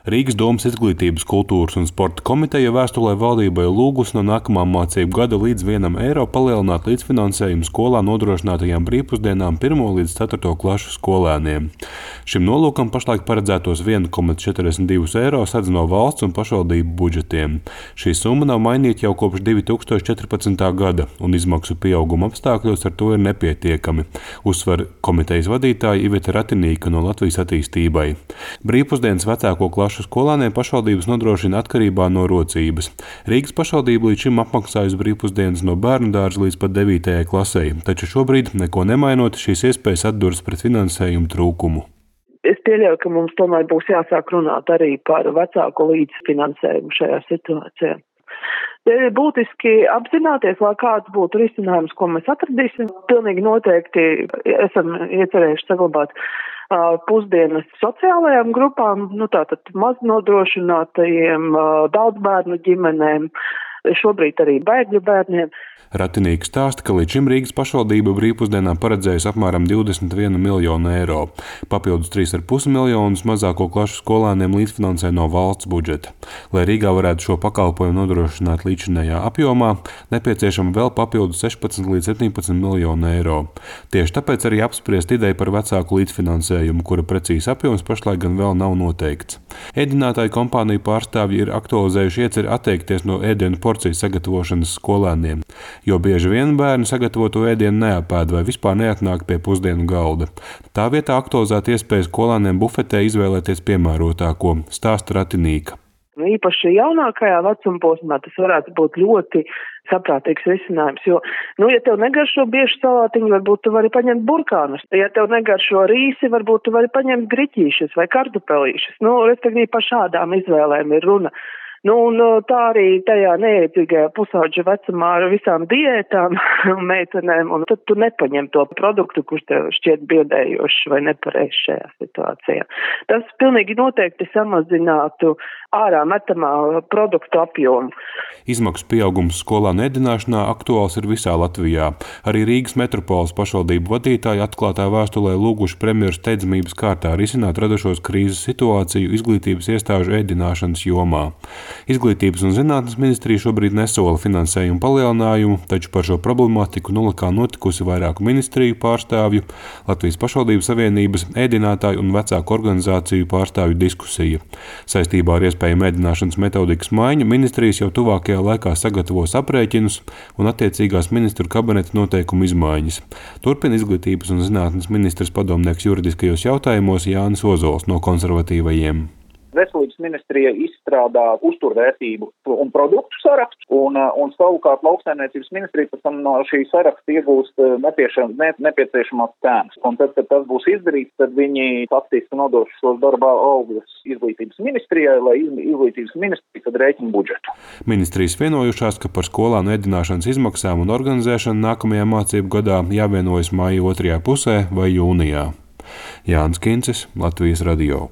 Rīgas domas Izglītības, kultūras un sporta komiteja vēstulē valdībai lūgusi no nākamā mācību gada līdz €1 palielināt līdzfinansējumu skolā nodrošinātajām brīvpusdienām 1. līdz 4. klašu skolēniem. Šim nolūkam pašlaik paredzētos €1,42 sadz no valsts un pašvaldību budžetiem. Šī summa nav mainīta jau kopš 2014. gada, un izmaksu pieauguma apstākļos ar to ir nepietiekami, uzsver komitejas vadītāja Iveta Ratinīka no Latvijas attīstībai. Brīvpusdienas vecāko klašu skolēniem pašvaldības nodrošina atkarībā no rocības. Rīgas pašvaldība līdz šim apmaksājusi brīvpusdienas no bērnu dārza līdz pat 9. klasei, taču šobrīd, neko nemainot, šīs iespējas atduras pret finansējumu trūkumu. Es pieļauju, ka mums tomēr būs jāsāk runāt arī par vecāku līdzfinansējumu šajā situācijā. Ir būtiski apzināties, lai kāds būtu risinājums, ko mēs atradīsim. Pilnīgi noteikti esam iecerējuši saglabāt pusdienas sociālajām grupām, tātad maznodrošinātajiem, daudzbērnu ģimenēm, šobrīd arī bēgļu bērniem. Ratinīks stāsta, ka līdz šim Rīgas pašvaldība brīvpusdienām paredzējusi apmēram €21 miljonu. Papildus 3,5 miljonus mazāko klašu skolēniem līdzfinansē no valsts budžeta. Lai Rīgā varētu šo pakalpojumu nodrošināt līdzinējā apjomā, nepieciešama vēl papildus 16 līdz 17 miljonu eiro. Tieši tāpēc arī apspriest ideju par vecāku līdzfinansējumu, kura precīzi apjoms pašlaik gan vēl nav noteikts. Ēdinātāju kompāniju pārstāvji ir aktualizējuši ieceri atteikties no ēdienu porciju sagatavošanas skolēniem, jo bieži vien bērni sagatavoto ēdienu neapēd vai vispār neatnāk pie pusdienu galda. Tā vietā aktualizēt iespēju skolēniem bufetē izvēlēties piemērotāko, stāsta Ratinīka. Īpaši jaunākajā vecuma posmā tas varētu būt ļoti saprātīgs risinājums, jo, ja tev negaršo bieži salātiņu, varbūt tu vari paņemt burkānus. Ja tev negaršo rīsi, varbūt tu vari paņemt griķīšus vai kartupelīšus. Respektīvi par šādām izvēlēm ir runa. Un tā arī tajā neietīgajā pusauģa vecumā ar visām diētām meitenēm, un tad tu nepaņem to produktu, kurš tev šķiet biedējošs vai nepareizs šajā situācijā. Tas pilnīgi noteikti samazinātu ārā metamā produktu apjomu. Izmaksu pieaugums skolēnu ēdināšanā aktuāls ir visā Latvijā. Arī Rīgas metropoles pašvaldību vadītāji atklātā vēstulē lūguši premjeru steidzamības kārtā risināt radušos krīzes situāciju izglītības iestāžu ēdināšanas jomā. Izglītības un zinātnes ministrija šobrīd nesola finansējumu palielinājumu, taču par šo problemātiku Nulakā notikusi vairāku ministriju pārstāvju, Latvijas pašvaldību savienības, ēdinātāju un vecāku organizāciju pārstāvju diskusija. Saistībā ar iespējamu ēdināšanas metodikas maiņu ministrijas jau tuvākajā laikā sagatavos aprēķinus un attiecīgās ministru kabineta noteikumu izmaiņas. Turpina izglītības un zinātnes ministres padomnieks juridiskajos jautājumos Jānis Ozols no konservatīvajiem. Veselības ministrija izstrādā uzturvērtību un produktu sarakstu, un savukārt lauksaimniecības ministrija pēc tam no šī saraksta iegūst nepieciešamās cenas. Un tad, kad tas būs izdarīts, tad viņi faktiski nodos šos darbā augļus izglītības ministrijai, lai izglītības ministrija tad rēķina budžetu. Ministrijas vienojušās, ka par skolānu ēdināšanas izmaksām un organizēšanu nākamajā mācību gadā jāvienojas maija 2. pusē vai jūnijā. Jānis Kincis, Latvijas radio.